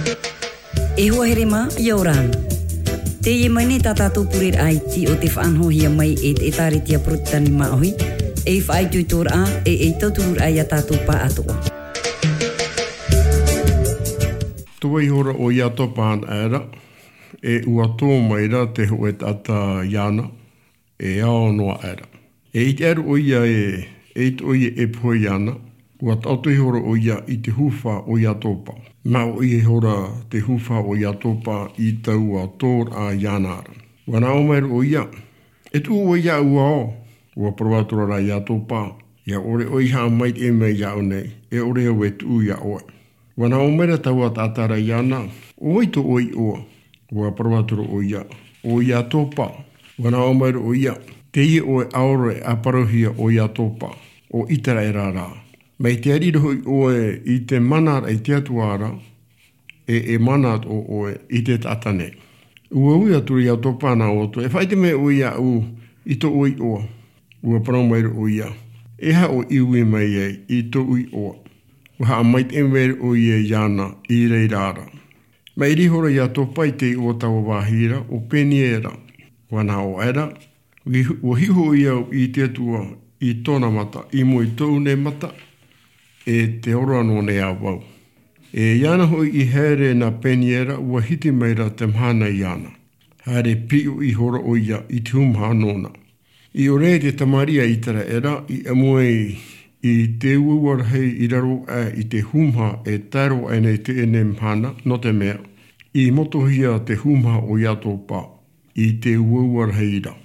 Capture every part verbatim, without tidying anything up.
E hoa here mā, ʻia ora na. Teie mai nei tā tātou pureraʻa iti o te faʻanahohia mai e te ʻĒtārētia Porotetani Māʻohi, ei faʻaitoitoraʻa, e ei tautururaʻa ia tātou pāʻatoʻa. Tō vai ihora ʻo Iatopa anaʻe ra, e ʻua tō mai ra te hōʻē taʻata iāna, e ao noa aʻe ra. E ʻite aʻe ra ʻoia e, eʻita ʻoia e pohe iāna, ʻua taʻoto ihora ʻoia i te hūhā o Iatopa. Māʻoʻi ihora te hūhā o Iatopa i taua tōraʻa iāna ra. ʻUa nā ʻō mai ra ʻoia, e tuʻu ʻoe iāʻu ao. ʻUa parau atu ra Iatopa, ʻia ʻore ʻoe i haʻamaitaʻi mai iāʻu nei, e ʻore au e tuʻu iā ʻoe. ʻUa nā ʻō mai ra taua taʻata ra iāna, ʻo vai tō ʻoe iʻoa? ʻUa parau atu ra ʻoia, ʻo Iatopa. ʻUa nā ʻō mai ra ʻoia, teie ʻoe ʻaore a parauhia ʻo Iatopa, ʻo ʻĪteraʻera rā. Mai te ariro hoʻi ʻoe i te mana ra i te Atua ra, e, e mana atoʻa ʻoe i te taʻata nei. ʻUa ui atu ra Iatopa nā ʻō atu, e faʻaʻite mai ʻoe iāʻu i tō ʻoe iʻoa. ʻUa parau mai ra ʻoia, e aha ʻoe i ui mai ai i tōʻu iʻoa? ʻUa haʻamaitaʻi mai ra ʻoia iāna i reira ra. Maʻiri ihora Iatopa i te iʻoa o taua vāhi ra, ʻo Peniera. ʻUa nā ʻō aʻe ra, ʻua hiʻo hoʻi au i te Atua i tōna mata, i mua i tōʻu nei mata, e te ora noa nei ā vau. E iāna hoʻi i haere na Peniera, ʻua hiti mai ra te mahana iāna. Haere piʻo ihora ʻoia i te hūmaha nōna. I ʻō nei te tamariʻi a ʻĪteraʻera, i ʻamu ai i te uaua rahi i raro aʻe i te hūmaha e tae roa aʻe nei teie nei mahana, nō te mea, i motohia te hūmaha o Iatopa i te uaua rahi ra.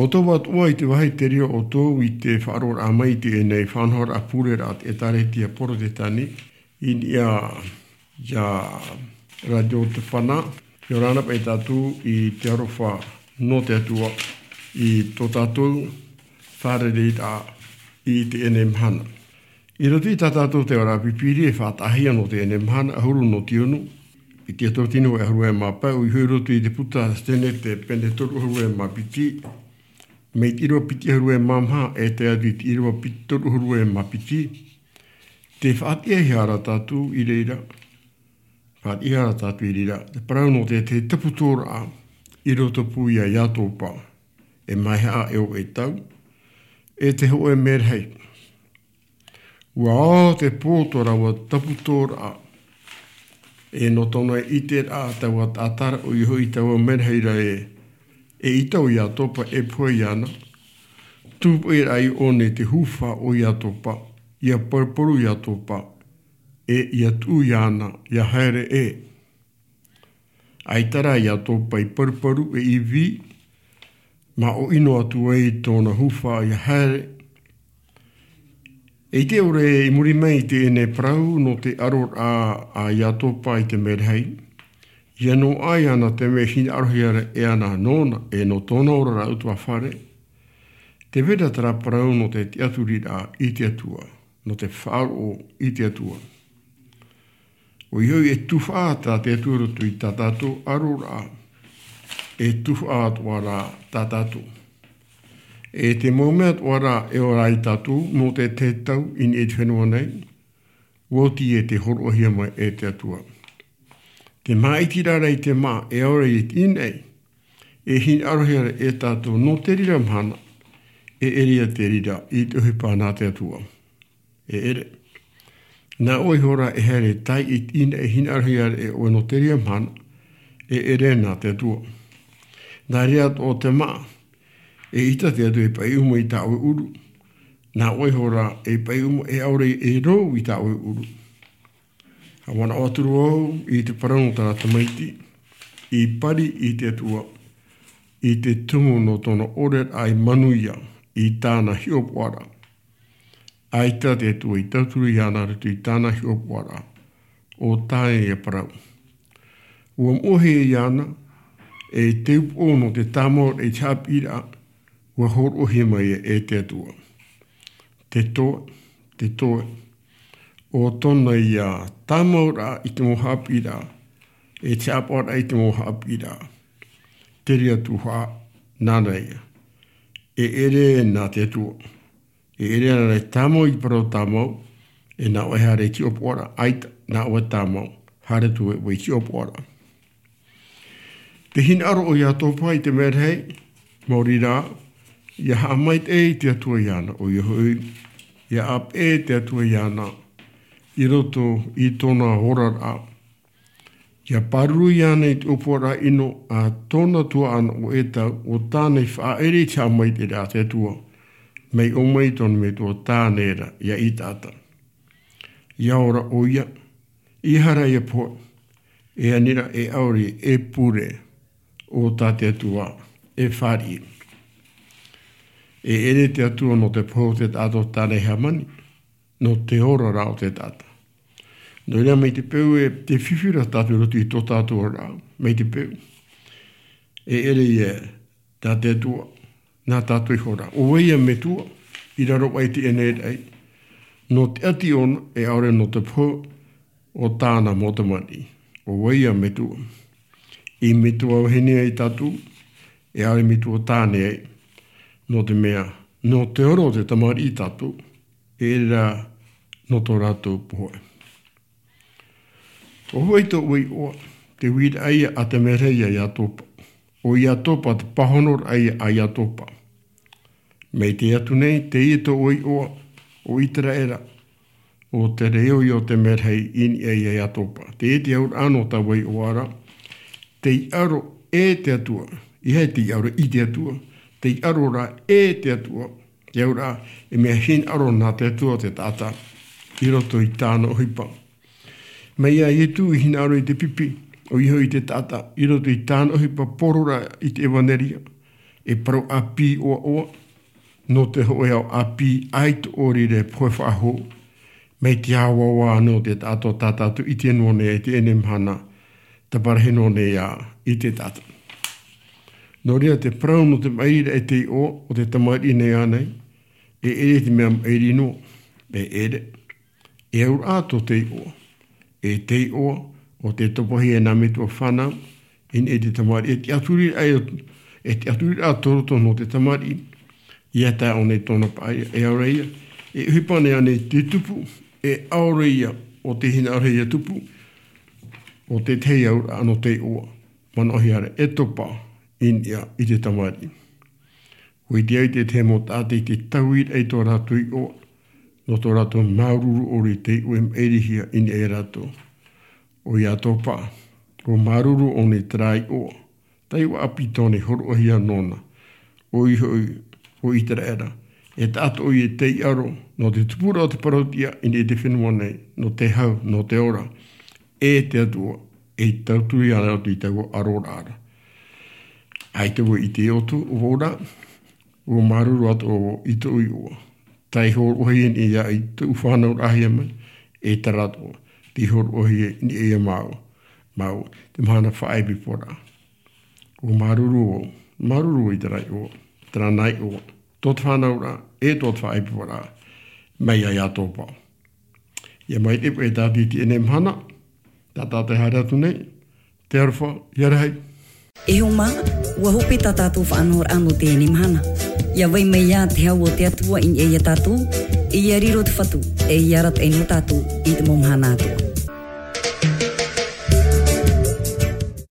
Tō atu ā i te vāhi te reira o tō i te faʻaroʻoraʻa mai i teie nei faʻanahoraʻa pure raʻa te ʻētāretia porotetani i niʻa iā radio te pana. Ia ora na paʻi tātou i te aroha nō te atua i tō tātou fārereiraʻa i teie nei mahana. I roto i tā tātou te ora pipiri e faʻataʻahia nō teie nei mahana ʻahuru nō tiunu, piti e toru tino e ʻahuru e mā pae ʻoia hoʻi i roto i te puta stenete pene toru ʻahuru e mā piti, mai te ʻīrava piti ʻahuru e mā maha e tae atu i te ʻīrava piti toru ʻahuru e mā piti. Te faʻatiʻaihia ra tātou i reira, faʻatiʻaihia ra tātou i reira te parau nō te tahi taputōraʻa i roto pū iā iatopa, e maihaʻa e ʻo e tau e te hoʻe merahei. Ua ao te pō tō rāua taputōraʻa, e nō tōna ʻiteraʻa taua taʻata ra ʻoia hoʻi taua merahei ra e ʻita o iatopa e pohe iāna. Tūpaʻi raʻa i ʻō nei te hufa o iatopa, ia paruparu iatopa, e ia tuʻu iāna ia haere ē. ʻAita rā iatopa i paruparu e ivi, mā ʻōʻino atu ai tōna hufa ia haere. E ʻite ʻore i muri mai i teie nei parau nō te ʻaroraʻa a iatopa i te merahei, ia noaʻa iāna te mea hinaʻarohia ra e ana nōna e nō tōna oraraʻa utuafare. Te vera terā parau nō te tiʻaturiraʻa i te atua, nō te faʻaroʻo i te atua. ʻOia hoʻi e tuhaʻa tā te atua i roto i tā tātou ʻaroraʻa, e tuhaʻa atoʻa rā tā tātou. E te mau mea atoʻa rā e ora ai tātou nō te tahi tau i niʻa i te fenua nei, ua oti e te hōroʻahia mai e te atua. Te māʻitiraʻa i te mā e ʻaore i te ʻinaʻi, e hinaʻarohia ra e tātou nō te reira mahana, e ʻere ia te reira i te ʻohipa nā te atua. E ʻere. Nā ʻoe iho rā e haere tae i te ʻinaʻi e hinaʻarohia ra e ʻoe nō te reira mahana, e ʻere nā te atua. Nā reira atoʻa te mā, e ʻita te atua e paʻi uma i tā ʻoe ʻuru. Nā ʻoe iho rā e paʻi uma e ʻaore e rou i tā ʻoe ʻuru. Haʻamanaʻo atu ra vau i te parau nō terā tamaiti i pari i te atua, i te tumu nō tōna ʻoreraʻa i manuia i tāna hiʻopoʻaraʻa. ʻAita te atua i tauturu iāna roto i tāna hiʻopoʻaraʻa, ʻo tāna ia parau. Ua moʻehia iāna e te upoʻo nō te tāmau i te haʻapiʻiraʻa, ua hōroʻahia mai e te atua. Te toe, te toe, ʻo tōna ia tāmauraʻa i te mau haʻapiʻiraʻa, e te haʻapaʻoraʻa i te mau haʻapiʻiraʻa. Te reira tuhaʻa, nāna ia. E ʻere nā te atua. E ʻere ana e tāmau i te parau tāmau, e nā ʻoe haere i te hiʻopoʻaraʻa, ʻaita, nā ʻoe tāmau, haere atu ē ʻoe i te hiʻopoʻaraʻa. Te hinaʻaro o iatopa i te merahei, maori rā, ia haʻamaitaʻi te atua iāna, ʻoia hoʻi, ia ʻāpeʻe te atua iāna, i roto i tōna oraraʻa. Ia pāruru iāna i te ʻōpuaraʻa ʻino a tōna tuaʻana ʻo ʻetau, ʻo tāna i faʻaʻere i te haʻamaitaʻiraʻa a te atua, mai ʻō mai tōna metua tāne ra ia ʻitaʻata. Ia ora ʻoia, ia haere ia pohe, e ani ra e ʻaore e pure, ʻo tā te atua e fāriʻi. E ʻere te atua nō te pohe o te taʻata o tāna i hāmani, nō te ora rā o te taʻata. Nō reira mai te peu e te fifi ra tātou i roto i tō tātou oraraʻa, mai te peu. E ʻere ia, tā te atua, nā tātou iho rā. ʻO vai ia metua, i raro aʻe i teie nei raʻi. Nō te ʻati ʻōna, e ʻaore nō te pohe, o tāna mau tamariʻi. ʻO vai ia metua. I metua vahine ai tātou, e ʻaore metua tāne ai. Nō te mea, nō te ora o te tamariʻi tātou, e ʻere rā nō tō rātou pohe. ʻO vai tō ʻoe iʻoa, te uiraʻa ia a te merahei a iatopa. ʻO iatopa te pāhonoraʻa ia a iatopa. Mai te atu nei, teie tō ʻoe iʻoa, ʻo Iteraera, ʻo te reo ia o te merahei i niʻa ia iatopa. Teie te auraʻa nō taua iʻoa ra, tei ʻaro e te atua, ʻeiaha tei ʻaro i te atua, tei ʻaro rā e te atua, te auraʻa, e mea hinaʻaro nā te atua te taʻata, i roto i tāna ʻohipa. Mai iā Ietu i hinaʻaro i te pipi, ʻoia hoʻi te taʻata, i roto i tāna ʻohipa poro ra i te ʻevaneria. e parau ʻāpī ʻoaʻoa, nō te hōʻē ao ʻāpī ʻaita ʻōrire pohe faʻahou, mai te āvaava nō te taʻato tā tātou i ʻite noa nei i teie mahana, tāparahi noa nei ā i te taʻata. Nō reira te parau nō te maʻiriraʻa i te iʻoa o te tamariʻi nei ānei, e ʻere te mea maʻiri noa, e ʻere. E auraʻa tō te iʻoa, e te iʻoa, o te topahia e nā metua fānau, i niʻa i te tamariʻi, e te ʻaturi, e te ʻaturiraʻa tō roto nō te tamariʻi, ia tae ʻō nei tōna paʻari, e aore ia, e ʻohipa nei ānei te tupu, e aore ia, o te hinaʻaro ia tupu, o te tahi auraʻa nō te iʻoa, manaʻohia ra, e topa, i niʻa i te tamariʻi. ʻUa ʻite ai te tahi mau taʻata i te tauiraʻa i tō rātou iʻoa, nō tō rātou māuruuru ʻore i te iʻoa e maʻirihia i niʻa ia rātou. ʻOia atoʻa paʻi, ʻua māuruuru ʻō nei terā iʻoa, tae ʻua ʻāpī tōna i hōroʻahia nōna, ʻoia hoʻi, ʻo ʻĪteraʻera, e taʻata ʻoia e taiʻo, nō te tupuraʻa o te parauʻtiʻa i niʻa i te fenua nei, nō te hau, nō te ora, e te Atua, e tauturu ia rātou i taua aroraʻa ra. ʻAita vau i ʻite ʻoutou, ʻo vau rā, ʻua māuruuru atoʻa vau i tōʻu iʻoa. Tei hōroʻahia nei ia i tōʻu fānauraʻahia mai, e terā atoʻa, tei hōroʻahia nei ia māua, māua, te mahana faʻaʻepiphora. ʻUa māuruuru vau, māuruuru vau i terā iʻoa, terā nā iʻoa, tō te fānauraʻa, e tō te faʻaʻepiphora, mai ia atoʻa paʻi. ʻIa maitaʻi paʻi tātou i teie mahana, tā tātou e haere atu nei, te aroha, ʻia rahi. E hoa mā, ʻua hope tā tātou faʻanahoraʻa nō teie mahana. ʻIa vai mai ā te hau o te Atua i niʻa ia tātou, e ʻia riro te Fatu, e ʻia arataʻi nō tātou i te mau mahana atoʻa.